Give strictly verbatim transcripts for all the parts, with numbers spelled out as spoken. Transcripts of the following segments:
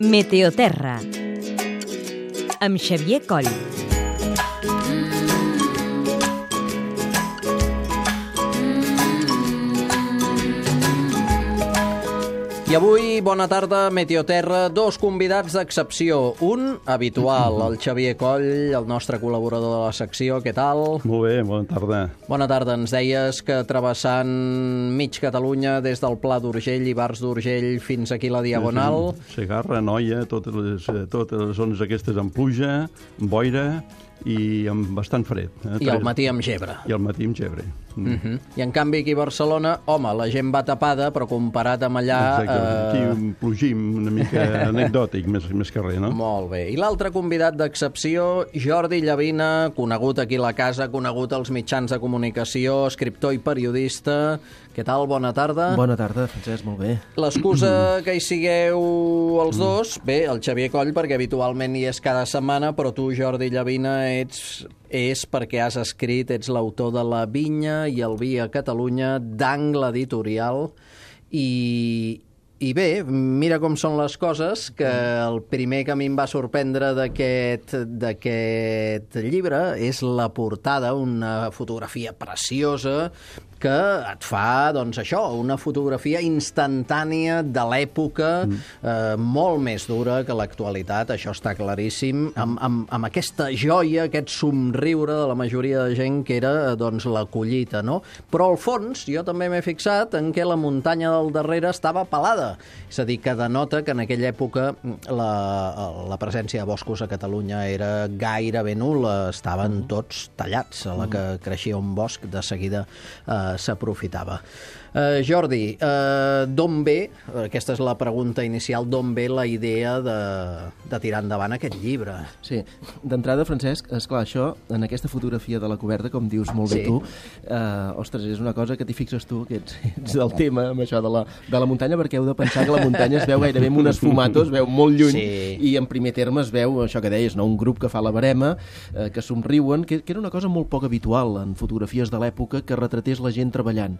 Meteoterra, amb Xavier Coll. I avui, bona tarda, Meteoterra, dos convidats d'excepció. Un, habitual, el Xavier Coll, el nostre col·laborador de la secció. Què tal? Molt bé, bona tarda. Bona tarda. Ens deies que travessant mig Catalunya, des del Pla d'Urgell i Bars d'Urgell fins aquí la Diagonal... Segarra, Noia, totes les, totes les zones aquestes amb pluja, amb boira i amb bastant fred. Eh? I al matí amb gebre. I al matí amb gebre. Mm. Uh -huh. I en canvi aquí a Barcelona, home, la gent va tapada, però comparat amb allà... Exacte, eh... aquí un plogim una mica anecdòtic, més, més que res, no? Molt bé. I l'altre convidat d'excepció, Jordi Llavina, conegut aquí a la casa, conegut als mitjans de comunicació, escriptor i periodista. Què tal? Bona tarda. Bona tarda, Francesc, molt bé. L'excusa que hi sigueu els dos, bé, el Xavier Coll, perquè habitualment hi és cada setmana, però tu, Jordi Llavina, ets... és perquè has escrit, ets l'autor de La Vinya i el Vi a Catalunya, d'Angle Editorial, i, i bé, mira com són les coses, que el primer que a mi em va sorprendre d'aquest d'aquest llibre és la portada, una fotografia preciosa, que et fa, doncs això, una fotografia instantània de l'època, mm. eh, molt més dura que l'actualitat, això està claríssim, amb, amb, amb aquesta joia, aquest somriure de la majoria de gent que era, doncs, la collita, no? Però al fons, jo també m'he fixat en què la muntanya del darrere estava pelada, és a dir, que denota que en aquella època la, la presència de boscos a Catalunya era gairebé nul·la, estaven tots tallats, a la que creixia un bosc, de seguida eh, s'aprofitava. Uh, Jordi, uh, d'on ve, aquesta és la pregunta inicial, d'on ve la idea de, de tirar endavant aquest llibre? Sí, d'entrada, Francesc, esclar, això, en aquesta fotografia de la coberta, com dius molt bé sí. tu, uh, ostres, és una cosa que t'hi fixes tu, que ets, ets del tema, amb això de la, de la muntanya, perquè heu de pensar que la muntanya es veu gairebé amb unes fumatos, es veu molt lluny, sí. i en primer terme es veu, això que deies, no? Un grup que fa la barema, uh, que somriuen, que, que era una cosa molt poc habitual en fotografies de l'època, que retratés la gent treballant.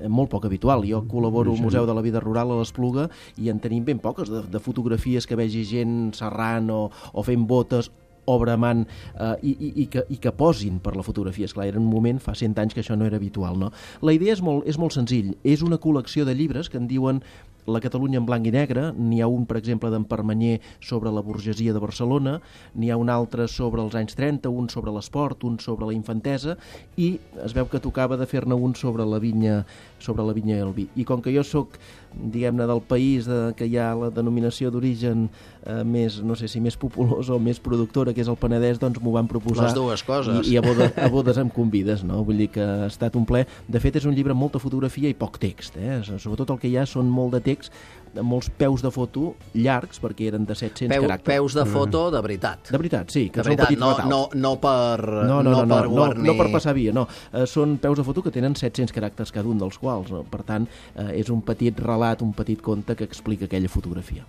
Molt poc habitual. Jo col·laboro al Museu de la Vida Rural a l'Espluga i en tenim ben poques de, de fotografies que vegi gent serrant o, o fent botes o bramant eh, i, i, i, que, i que posin per la fotografia. Esclar, era un moment, fa cent anys, que això no era habitual, no? La idea és molt, és molt senzill. És una col·lecció de llibres que en diuen La Catalunya en blanc i negre. N'hi ha un, per exemple, d'en Permanyer sobre la burgesia de Barcelona, n'hi ha un altre sobre els anys trenta, un sobre l'esport, un sobre la infantesa, i es veu que tocava de fer-ne un sobre la vinya, sobre la vinya i el vi. I com que jo sóc, diguem-ne, del país de, que hi ha la denominació d'origen eh, més, no sé si més populós o més productora, que és el Penedès, doncs m'ho van proposar. Les dues coses. I, i a, bodes, a bodes em convides, no? Vull dir que ha estat un ple. De fet, és un llibre amb molta fotografia i poc text, eh? Sobretot el que hi ha són molt de text, molts peus de foto llargs, perquè eren de set-cents Peu, caràcters. Peus de foto de veritat. De veritat, sí, que de són veritat, petits no, retals. no, no per no, no, no, no per no, guarnir... no per passar via, no. Eh, són peus de foto que tenen set-cents caràcters cada un dels quals. No? Per tant, eh, és un petit relat, un petit conte que explica aquella fotografia.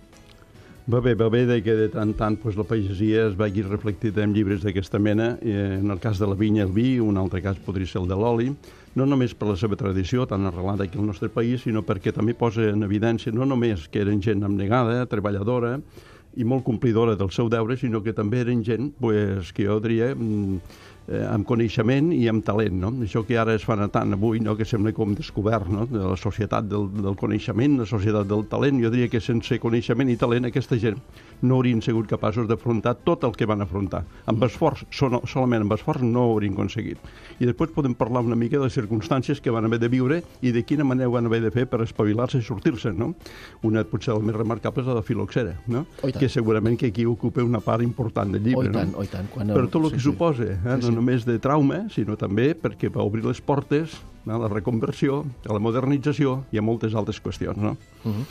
Va bé, va bé que de tant en tant pues, la pagesia es vegi reflectida en llibres d'aquesta mena. Eh, en el cas de la vinya i el vi, un altre cas podria ser el de l'oli, no només per la seva tradició tan arrelada aquí al nostre país, sinó perquè també posa en evidència no només que eren gent abnegada, treballadora i molt complidora del seu deure, sinó que també eren gent pues, que jo diria eh, amb coneixement i amb talent, no? Això que ara es fa tant avui, no? Que sembla com descobert, no? De la societat del, del coneixement, la societat del talent. Jo diria que sense coneixement i talent aquesta gent no haurien sigut capaços d'afrontar tot el que van afrontar. Amb esforç, so, solament amb esforç no ho haurien aconseguit. I després podem parlar una mica de les circumstàncies que van haver de viure i de quina manera ho van haver de fer per espavilar-se i sortir-se, no? Una potser la més remarcable és la de Filoxera, no? Que segurament que aquí ocupa una part important del llibre, oh, tant, no? Oh, tant. Quan Per tot el sí, que sí. suposa, eh? Sí, sí. No només de trauma, sinó també perquè va obrir les portes a la reconversió, a la modernització i a moltes altres qüestions, no? Uh-huh.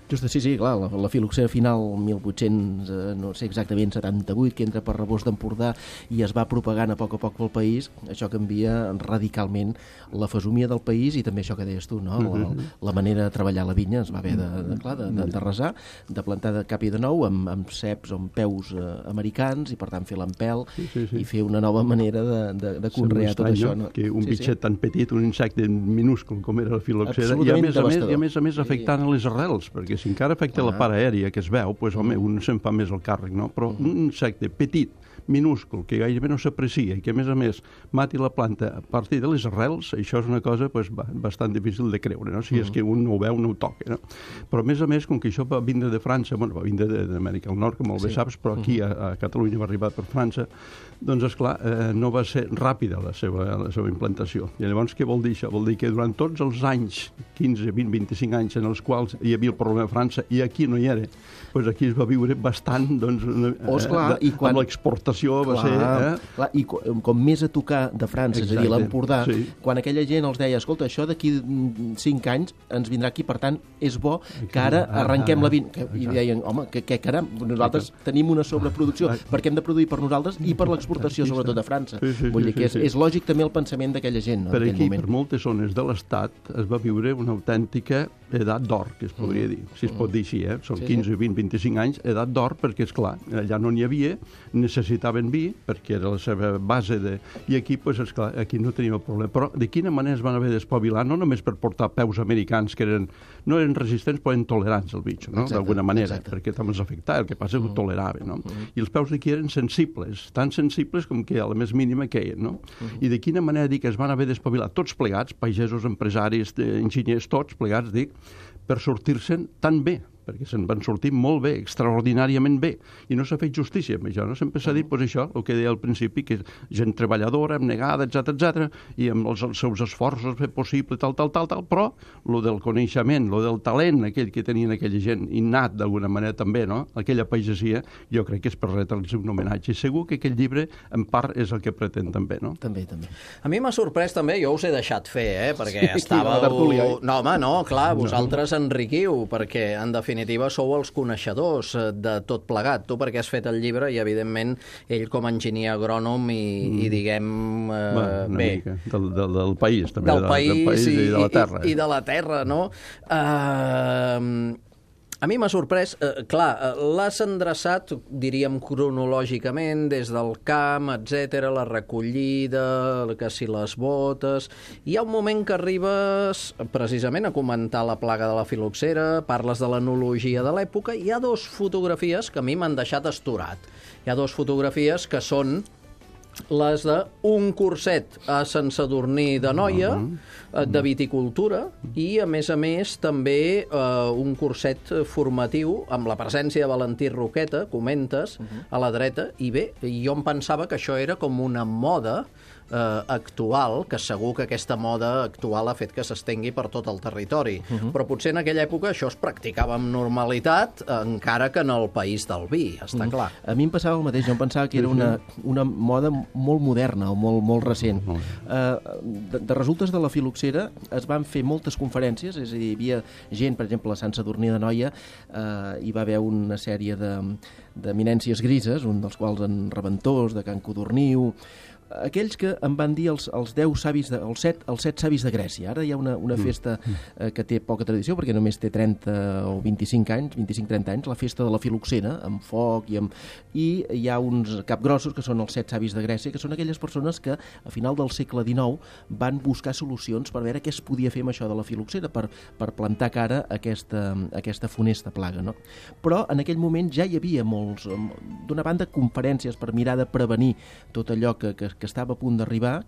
Just, sí, sí, clar, la, la filoxera final, mil vuit-cents, eh, no sé exactament, setanta-vuit, que entra per Rebós d'Empordà i es va propagant a poc a poc pel país, això canvia radicalment la fesomia del país i també això que deies tu, no? La, la manera de treballar la vinya es va haver de, de, clar, de, de, de resar, de plantar de cap i de nou amb, amb ceps o amb peus eh, americans i per tant fer l'empel sí, sí, sí. i fer una nova manera de, de, de conrear tot això. No? Que un sí, bitxet sí. tan petit, un insecte minúscul com era la filoxera, i a més a més, i a més, a més afectant sí. a les arrels, perquè si encara afecta la part aèria que es veu, doncs, home, un se'n fa més el càrrec, no? Però un insecte petit, minúscul, que gairebé no s'aprecia i que, a més a més, mati la planta a partir de les arrels, això és una cosa pues, bastant difícil de creure, no? Si és que un no ho veu, no ho toca, no? Però, a més a més, com que això va vindre de França, bueno, va vindre d'Amèrica del Nord, com molt bé saps, però aquí a, a Catalunya va arribar per França, doncs, esclar, eh, no va ser ràpida la seva, la seva implantació. I llavors, què vol dir això? Vol dir que durant tots els anys, quinze, vint, vint-i-cinc anys en els quals hi havia el problema a França i aquí no hi era, doncs aquí es va viure bastant, doncs, una, oh, esclar, eh, i quan... amb l'exportació va ser... Eh? Clar, i com, com més a tocar de França, exacte, és a dir, l'Empordà, sí. Quan aquella gent els deia, escolta, això d'aquí cinc anys ens vindrà aquí, per tant, és bo que ara arrenquem la vint... I deien, home, que, que caram, nosaltres tenim una sobreproducció, perquè hem de produir per nosaltres i per l'exportació, sobretot a França. Sí, sí, Vull dir que és, és lògic també el pensament d'aquella gent, no? Per aquí, moment. Per moltes zones de l'Estat, es va viure una autèntica edat d'or, que es podria dir, si es pot dir així, eh? Són quinze, vint, vint-i-cinc anys, edat d'or, perquè, és clar, allà no n'hi havia, necessitaven vi, perquè era la seva base de... I aquí, doncs, esclar, aquí no teníem el problema. Però de quina manera es van haver d'espavilar, no només per portar peus americans, que eren, no eren resistents, però eren tolerants al bitxo, no? D'alguna manera, exacte. Perquè també els afectava, el que passa és que ho toleraven, no? Uh-huh. I els peus d'aquí eren sensibles, tan sensibles com que a la més mínima queien, no? Uh-huh. I de quina manera dic que es van haver d'espavilar tots plegats, pagesos, empresaris, enginyers, tots plegats, dic, per sortir-se'n tan bé, perquè se'n van sortir molt bé, extraordinàriament bé, i no s'ha fet justícia amb això, no? Sempre s'ha dit, doncs això, el que deia al principi, que gent treballadora, abnegada, etcètera, etcètera, i amb els, els seus esforços fer possible, tal, tal, tal, tal, però lo del coneixement, lo del talent, aquell que tenien aquella gent, innat d'alguna manera també, no? Aquella pagesia, jo crec que és per retre'ls un homenatge. I segur que aquell llibre, en part, és el que pretén també, no? També, també. A mi m'ha sorprès també, jo us he deixat fer, eh? Perquè estàveu... No, home, no, clar, vosaltres enriquiu, perquè, en definitiva, sou els coneixedors de tot plegat. Tu perquè has fet el llibre i, evidentment, ell com a enginyer agrònom i, mm. i diguem... Eh, bueno, bé, del, del, del país, també. Del, de, país, del país i, i de la terra. I, i de la terra, no? Eh... A mi m'ha sorprès, eh, clar, l'has endreçat, diríem, cronològicament, des del camp, etcètera, la recollida, que si les botes... Hi ha un moment que arribes precisament a comentar la plaga de la filoxera, parles de l'enologia de l'època, i hi ha dues fotografies que a mi m'han deixat astorat. Hi ha dues fotografies que són les d'un curset a Sant Sadurní d'Anoia, de viticultura, i, a més a més, també eh, un curset formatiu amb la presència de Valentí Roqueta, comentes, a la dreta, i bé, jo em pensava que això era com una moda eh, actual, que segur que aquesta moda actual ha fet que s'estengui per tot el territori. Uh-huh. Però potser en aquella època això es practicava amb normalitat, encara que en el país del vi, està uh-huh. clar. A mi em passava el mateix, jo em pensava que era una, una moda molt moderna o molt, molt recent. Uh-huh. Uh, de, de resultes de la filoxera es van fer moltes conferències, és a dir, hi havia gent, per exemple, a Sant Sadurní d'Anoia, uh, hi va haver una sèrie de d'eminències grises, un dels quals en Reventós, de Can Codorniu, aquells que em van dir els, els deu savis, de, els, set, els set savis de Grècia. Ara hi ha una, una festa eh, que té poca tradició, perquè només té trenta o vint-i-cinc anys, vint-i-cinc trenta anys, la festa de la filoxera, amb foc, i, amb... i hi ha uns capgrossos que són els set savis de Grècia, que són aquelles persones que a final del segle dinou van buscar solucions per veure què es podia fer amb això de la filoxera, per, per plantar cara a aquesta, a aquesta funesta plaga, no? Però en aquell moment ja hi havia molts, d'una banda, conferències per mirar de prevenir tot allò que, que que estava a punt d'arribar,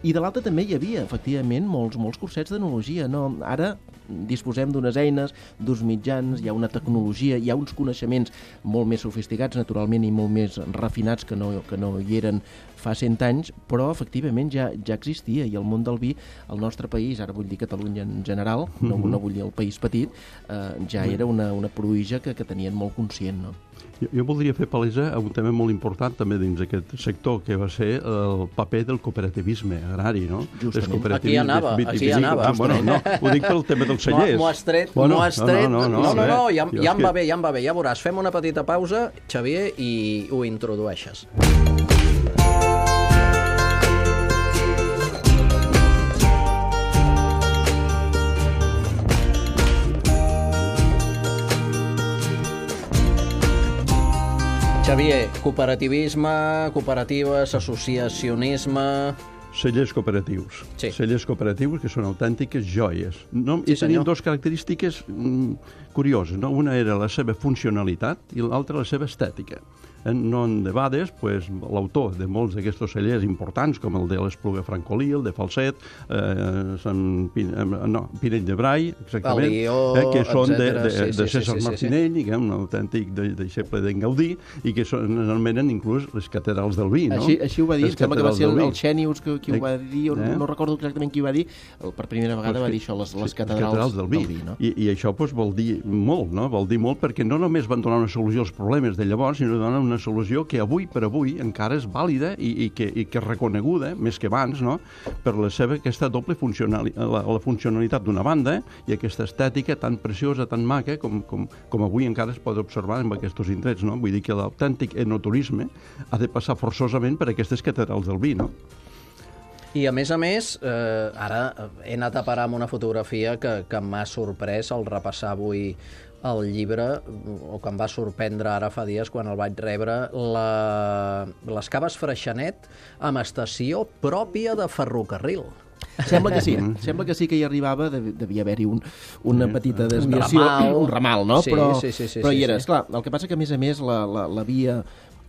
i de l'altra també hi havia, efectivament, molts, molts cursets d'enologia. No? Ara disposem d'unes eines, d'uns mitjans, hi ha una tecnologia, hi ha uns coneixements molt més sofisticats, naturalment, i molt més refinats que no, que no hi eren fa cent anys, però efectivament ja, ja existia, i el món del vi, el nostre país, ara vull dir Catalunya en general, no, mm-hmm. no vull dir el país petit, eh, ja era una, una pruïja que, que tenien molt conscient, no? Jo, jo voldria fer palesa a un tema molt important també dins d'aquest sector, que va ser el paper del cooperativisme agrari, no? Justament. Aquí anava, aquí anava. Ah, bueno, no, ho dic pel tema dels cellers. M'ho has tret, bueno, m'ho has tret. No, no, no, no, no, no ja, jo ja em va bé, ja em va bé, ja veuràs. Fem una petita pausa, Xavier, i ho introdueixes. Xavier, cooperativisme, cooperatives, associacionisme... Cellers cooperatius. Sí. Cellers cooperatius que són autèntiques joies. No, Sí, I tenien senyor. dues característiques mm, curioses. No? Una era la seva funcionalitat i l'altra la seva estètica. No en debades, pues, l'autor de molts d'aquests cellers importants, com el de l'Espluga Francolí, el de Falset, eh, Sant Pin, eh, no, Pinell de Brai, exactament, el Lió, eh, que són de, etcètera. de, Sí, de sí, César sí, sí, sí, Martinell, sí, sí. que és un autèntic de, deixeble d'en Gaudí, i que són, anomenen inclús les catedrals del vi, no? Així, així ho va dir, Les em sembla que va ser el, catedrals del el Xènius que, qui ho va dir, o Eh? no recordo exactament qui ho va dir, el, per primera vegada va dir això, les, les Sí, catedrals del vi. del vi, no? I, I això pues, vol dir molt, no? Vol dir molt perquè no només van donar una solució als problemes de llavors, sinó donar una solució que avui per avui encara és vàlida i, i, que, i que és reconeguda, més que abans, no? Per la seva aquesta doble funcionalitat, la, la funcionalitat d'una banda i aquesta estètica tan preciosa, tan maca, com, com, com avui encara es pot observar en aquests indrets, no? Vull dir que l'autèntic enoturisme ha de passar forçosament per aquestes catedrals del vi, no? I a més a més, eh, ara he anat a parar amb una fotografia que, que m'ha sorprès al repassar avui el llibre, o que em va sorprendre ara fa dies quan el vaig rebre, la... les Caves Freixenet amb estació pròpia de ferrocarril. Sembla que sí, sembla que sí que hi arribava, devia haver-hi un, una petita desviació, Un ramal. un ramal, no? Sí, però, sí, sí, sí, però sí, hi era. sí. Esclar, el que passa que, a més a més, la, la, la via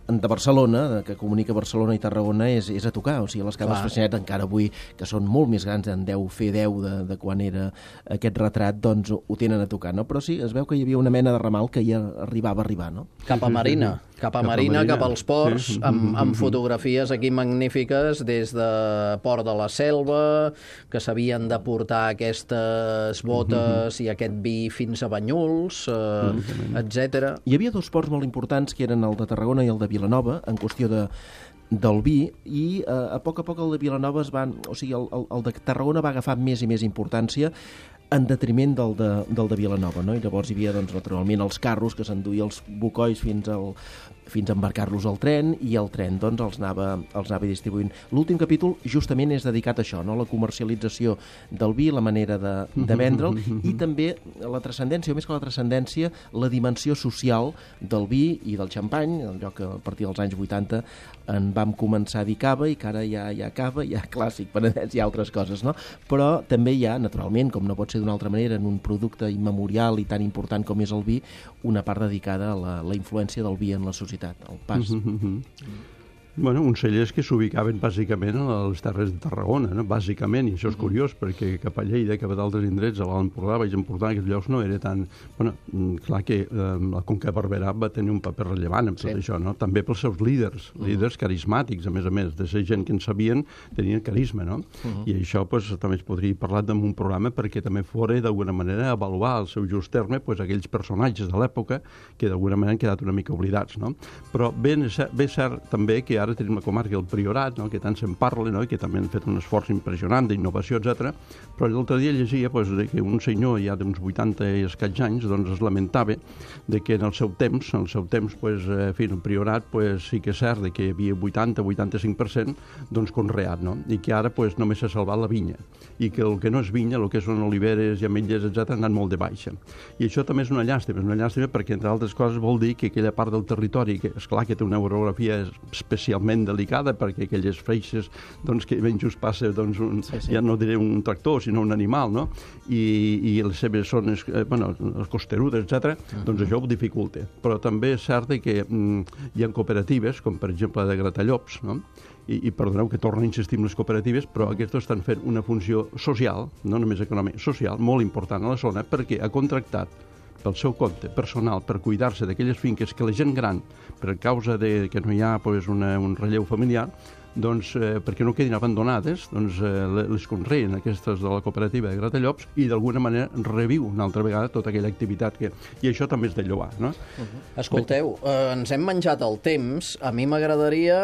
de Barcelona, que comunica Barcelona i Tarragona, és, és a tocar. O sigui, les Caves Freixenet, encara avui, que són molt més grans, en deu fer deu de, de quan era aquest retrat, doncs ho tenen a tocar, no? Però sí, es veu que hi havia una mena de ramal que ja arribava a arribar, no? Cap a Marina, cap a Cap a Marina, Marina. cap als ports, Sí. amb, amb fotografies aquí magnífiques des de Port de la Selva, que s'havien de portar aquestes botes i aquest vi fins a Banyuls, eh, etcètera. Hi havia dos ports molt importants, que eren el de Tarragona i el de Vilanova, en qüestió de, del vi, i eh, a poc a poc el de Vilanova es van... O sigui, el, el, el de Tarragona va agafar més i més importància en detriment del de, del de Vilanova, no? I llavors hi havia, doncs, naturalment, els carros que s'enduïen els bucois fins al fins a embarcar-los al tren, i el tren doncs, els, anava, els anava distribuint. L'últim capítol justament és dedicat a això, no? La comercialització del vi, la manera de, de vendre'l, i també la transcendència, o més que la transcendència, la dimensió social del vi i del xampany, allò que a partir dels anys vuitanta en vam començar a dir cava, i que ara hi ha, hi ha cava, hi ha clàssic, penedès i altres coses, no? Però també hi ha, naturalment, com no pot ser d'una altra manera, en un producte immemorial i tan important com és el vi, una part dedicada a la, la influència del vi en la societat, el pas. Bueno, uns cellers que s'ubicaven bàsicament a les terres de Tarragona, no? Bàsicament, i això és curiós, perquè cap a Lleida, cap a d'altres indrets, a l'Alt Empordà, Baix Empordà, aquests llocs no era tan... Bueno, clar que eh, la Conca de Barberà va tenir un paper rellevant en tot Sí. això, no? També pels seus líders, líders carismàtics, a més a més, de ser gent que en sabien, tenien carisma, no? I això, pues, també es podria parlar en un programa perquè també fora, d'alguna manera, avaluar al seu just terme, pues, aquells personatges de l'època que d'alguna manera han quedat una mica oblidats, no? Però bé, bé cert també que ara tenim la comarca del Priorat, no? Que tant se'n parla, no? I que també han fet un esforç impressionant d'innovació, etcètera. Però l'altre dia llegia pues, de que un senyor ja d'uns vuitanta i escaig anys doncs, es lamentava de que en el seu temps, en el seu temps, pues, eh, en el Priorat pues, sí que és cert de que hi havia vuitanta a vuitanta-cinc per cent doncs, conreat, no? I que ara pues, només s'ha salvat la vinya. I que el que no és vinya, el que són oliveres i ametlles, etcètera, han anat molt de baixa. I això també és una llàstima, és una llàstima perquè, entre altres coses, vol dir que aquella part del territori, que esclar que té una orografia especialment delicada, perquè aquelles freixes doncs, que ben just passa doncs, un, sí, sí. ja no diré un tractor, sinó un animal, no? I, i les seves zones, eh, bueno, les costerudes, etcètera, uh-huh. doncs això ho dificulta. Però també és cert que mm, hi ha cooperatives, com per exemple de Gratallops, no? I, i perdoneu que torno a insistir en les cooperatives, però aquests estan fent una funció social, no només econòmica, social, molt important a la zona, perquè ha contractat pel seu compte personal per cuidar-se d'aquelles finques que la gent gran, per causa de que no hi ha pues, una, un relleu familiar, doncs, eh, perquè no quedin abandonades, doncs, eh, les conreen aquestes de la cooperativa de Gratallops i d'alguna manera reviu una altra vegada tota aquella activitat que... I això també és de lloar, no? Uh-huh. Escolteu, eh, ens hem menjat el temps. A mi m'agradaria,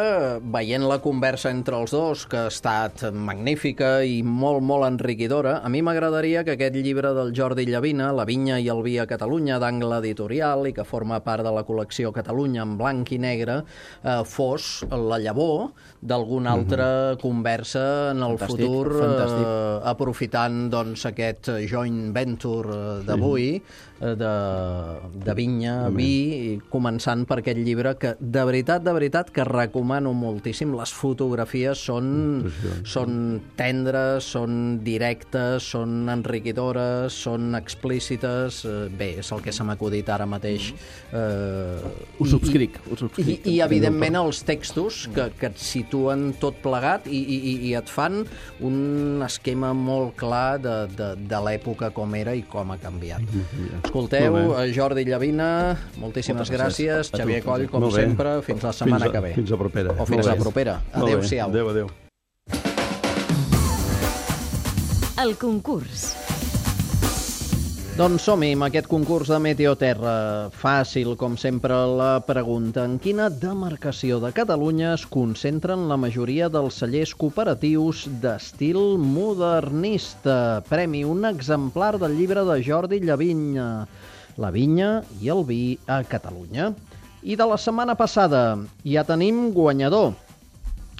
veient la conversa entre els dos, que ha estat magnífica i molt, molt enriquidora, a mi m'agradaria que aquest llibre del Jordi Llavina, La vinya i el vi a Catalunya, d'Angle Editorial, i que forma part de la col·lecció Catalunya en blanc i negre, eh, fos la llavor del alguna altra uh-huh. conversa en el Fantàstic, futur, fantàstic. eh, aprofitant doncs, aquest joint venture d'avui, sí. de, de vinya, També. vi, i començant per aquest llibre que, de veritat, de veritat, que recomano moltíssim. Les fotografies són, són tendres, són directes, són enriquidores, són explícites. Bé, és el que se m'ha acudit ara mateix. Eh, Ho subscric, ho subscric. I, i evidentment, els textos que, que et situen tot plegat i, i, i et fan un esquema molt clar de, de, de l'època com era i com ha canviat. Escolteu, Jordi Llavina, moltíssimes gràcies. Xavier Coll, com sempre, fins la setmana que ve. Fins a propera. O fins a propera. Adéu-siau. Adéu, adéu. El concurs. Doncs som-hi amb aquest concurs de Meteoterra. Fàcil, com sempre, la pregunta. En quina demarcació de Catalunya es concentren la majoria dels cellers cooperatius d'estil modernista? Premi, un exemplar del llibre de Jordi Llavinya, La vinya i el vi a Catalunya. I de la setmana passada ja tenim guanyador.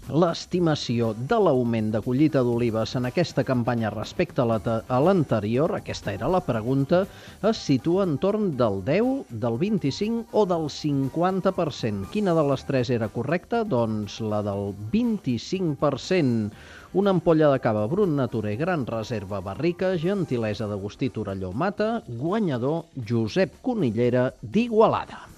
L'estimació de l'augment de collita d'olives en aquesta campanya respecte a l'anterior, aquesta era la pregunta, es situa entorn del deu, del vint-i-cinc o del cinquanta per cent. Quina de les tres era correcta? Doncs la del vint-i-cinc per cent. Una ampolla de cava Brut Nature Gran Reserva Barrica, gentilesa d'Agustí Torelló Mata, guanyador Josep Conillera d'Igualada.